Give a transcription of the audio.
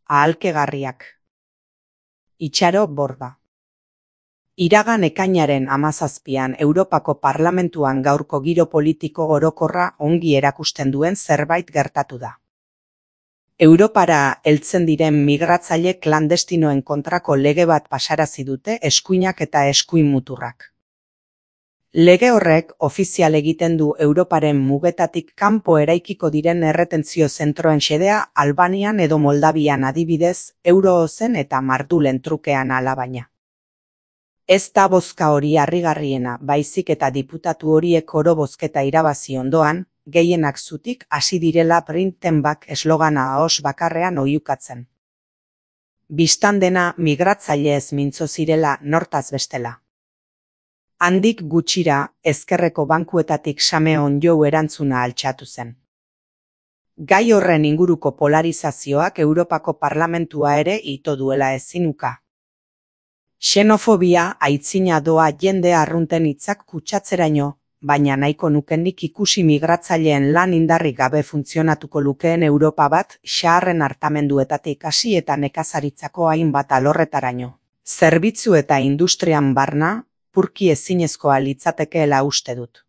Ahalkegarriak. Itxaro Borda. Iragan ekainaren 17an Europako Parlamentuan gaurko giro politiko orokorra ongi erakusten duen zerbait gertatu da. Europara heltzen diren migratzaile klandestinoen kontrako lege bat pasarazi dute eskuinak eta eskuin muturrak. Lege horrek ofizial egiten du Europaren mugetatik kanpo eraikiko diren erretentzio zentroen xedea Albanian edo Moldavian adibidez, Euroozen eta Mardulen trukean alabaina. Ez da bozka hori harrigarriena, baizik eta diputatu horiek oro bozketa irabazi ondoan, gehienak zutik hasi direla Bring Back eslogana ahos bakarrean oihukatzen. Bistan dena migratzailez mintzo zirela nortaz bestela. Handik gutxira, ezkerreko bankuetatik Same Onjou erantzuna altxatu zen. Gai horren inguruko polarizazioak Europako Parlamentua ere ito duela ezinuka. Xenofobia aitzina doa jende arrunten hitzak kutsatzeraino, baina nahiko nukenik ikusi migratzaileen lan indarrik gabe funtzionatuko lukeen Europa bat xaharren hartamenduetatik hasi eta nekazaritzako hainbat alorretaraino. Zerbitzu eta industrian barna, purki ezinezkoa litzatekeela uste dut.